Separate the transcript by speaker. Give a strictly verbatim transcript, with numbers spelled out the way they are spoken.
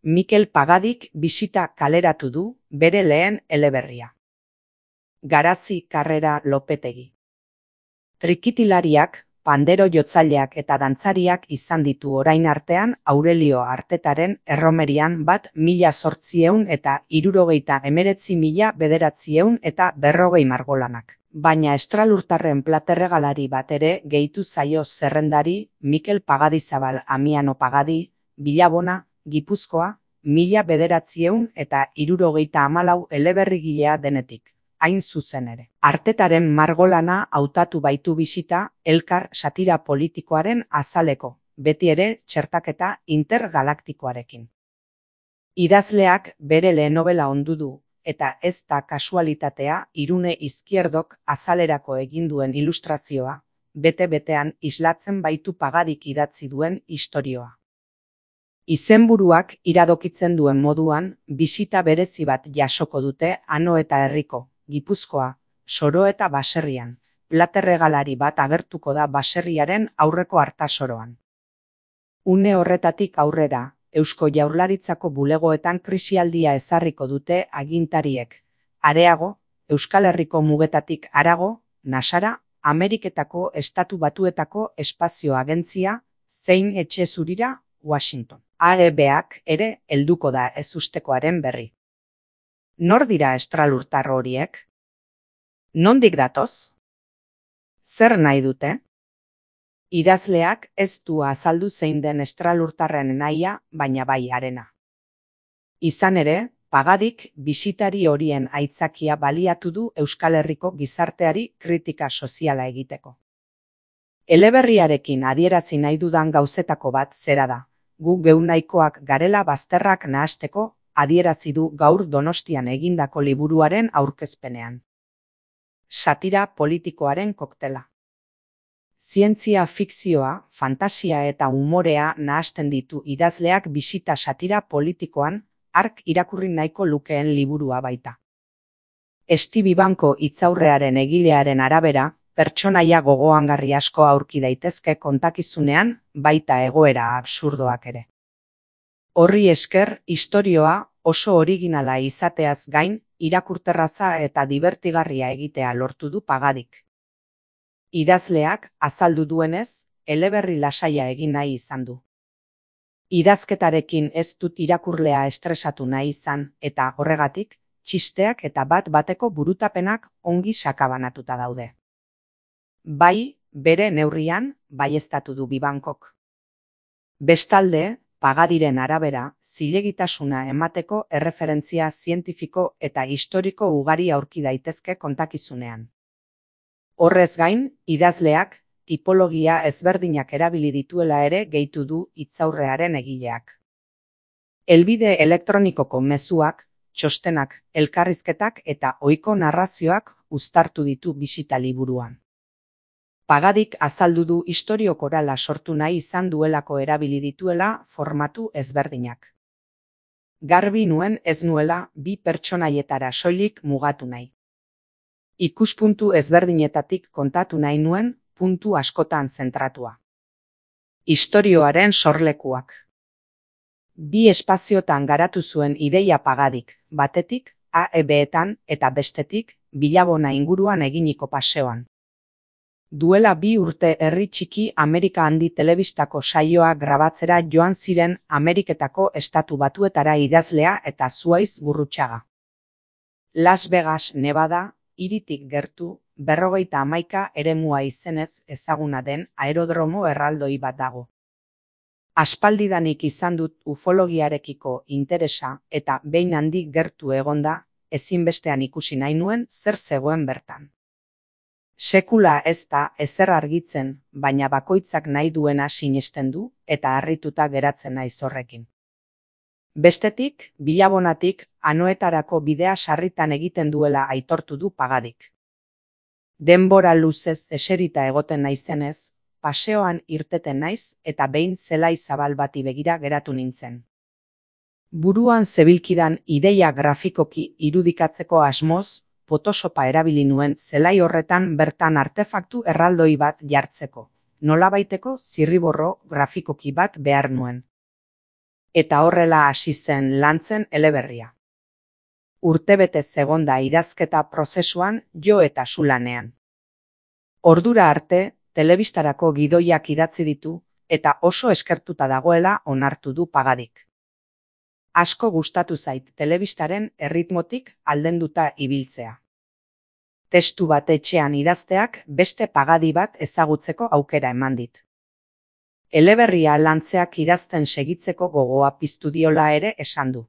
Speaker 1: Mikel Pagadik bisita kaleratu du bere lehen eleberria. Garazi Karrera Lopetegi. Trikitilariak, pandero jotzaileak eta dantzariak izan ditu orain artean Aurelio Artetaren erromerian bat mila zortziehun eta hirurogeita hemeretzi mila bederatziehun eta berrogei margolanak. Baina estralurtarren platerregalari bat ere gehitu zaio zerrendari Mikel Pagadizabal Amiano Pagadi, Bilabona, Gipuzkoa, mila bederatziehun eta hirurogeita hamalau eleberrigilea denetik. Hain zuzen ere. Artetaren margolana hautatu baitu bisita elkar satira politikoaren azaleko, beti ere txertaketa intergalaktikoarekin. Idazleak bere lehen nobela ondu du, eta ez da kasualitatea Irune Izquierdok azalerako egin duen ilustrazioa, bete-betean islatzen baitu Pagadik idatzi duen istorioa. Izenburuak iradokitzen duen moduan, bisita berezi bat jasoko dute Ano eta Herriko, Gipuzkoa, Soro eta Baserrian. Platerregalari bat agertuko da baserriaren aurreko artasoroan. Une horretatik aurrera, Eusko Jaurlaritzako bulegoetan krisialdia ezarriko dute agintariek. Areago, Euskal Herriko mugetatik harago, Nasara, Ameriketako Estatu Batuetako Espazio Agentzia, zein Etxe Zurira, Washington. A E Bak ere helduko da ezustekoaren berri. Nor dira estralurtar horiek? Nondik datoz? Zer nahi dute? Idazleak ez du azaldu zein den estralurtarren nahia, baina bai harena. Izan ere, Pagadik bisitari horien aitzakia baliatu du Euskal Herriko gizarteari kritika soziala egiteko. Eleberriarekin adierazi nahi dudan gauzetako bat zera da. Gu geu nahikoak garela bazterrak nahasteko, adierazi du gaur Donostian egindako liburuaren aurkezpenean. Satira politikoaren koktela. Zientzia fikzioa, fantasia eta umorea nahasten ditu idazleak bisita satira politikoan, hark irakurri nahiko lukeen liburua baita. Estibi Banko hitzaurrearen egilearen arabera, pertsonaia gogoangarri asko aurki daitezke kontakizunean, baita egoera absurdoak ere. Horri esker, istorioa oso originala izateaz gain, irakurterraza eta dibertigarria egitea lortu du Pagadik. Idazleak, azaldu duenez, eleberri lasaia egin nahi izan du. Idazketarekin ez dut irakurlea estresatu nahi izan, eta horregatik, txisteak eta bat-bateko burutapenak ongi sakabanatuta daude. Bai, bere neurrian, baieztatu du Bibankok. Bestalde, Pagadiren arabera, zilegitasuna emateko erreferentzia zientifiko eta historiko ugari aurki daitezke kontakizunean. Horrez gain, idazleak, tipologia ezberdinak erabili dituela ere gehitu du hitzaurrearen egileak. Helbide elektronikoko mezuak, txostenak, elkarrizketak eta ohiko narrazioak uztartu ditu bisita liburuan. Pagadik azaldu du istorio korala sortu nahi izan duelako erabili dituela formatu ezberdinak. Garbi nuen ez nuela bi pertsonaietara soilik mugatu nahi. Ikuspuntu ezberdinetatik kontatu nahi nuen puntu askotan zentratua. Istorioaren sorlekuak. Bi espaziotan garatu zuen ideia Pagadik, batetik A E Betan eta bestetik Bilabona inguruan eginiko paseoan. Duela bi urte herri txiki Amerika Handi telebistako saioa grabatzera joan ziren Ameriketako Estatu Batuetara idazlea eta Zuaiz Gurrutxaga. Las Vegas, Nevada, hiritik gertu, berrogeita hamaika eremua izenez ezaguna den aerodromo erraldoi bat dago. Aspaldidanik izan dut ufologiarekiko interesa eta behin handik gertu egonda, ezinbestean ikusi nahi nuen zer zegoen bertan. Sekula ez da ezer argitzen, baina bakoitzak nahi duena sinesten du eta harrituta geratzen naiz horrekin. Bestetik, Bilabonatik Anoetarako bidea sarritan egiten duela aitortu du Pagadik. Denbora luzez eserita egoten naizenez, paseoan irteten naiz eta behin zelai zabal bati begira geratu nintzen. Buruan zebilkidan ideia grafikoki irudikatzeko asmoz, Photoshopa erabili nuen zelai horretan bertan artefaktu erraldoi bat jartzeko, nolabaiteko zirriborro grafikoki bat behar nuen. Eta horrela hasi zen lantzen eleberria. Urtebete zegonda idazketa prozesuan jo eta su lanean. Ordura arte, telebistarako gidoiak idatzi ditu eta oso eskertuta dagoela onartu du Pagadik. Asko gustatu zait telebistaren erritmotik aldenduta ibiltzea. Testu bat etxean idazteak beste Pagadi bat ezagutzeko aukera eman dit. Eleberria lantzeak idazten segitzeko gogoa piztu diola ere esan du.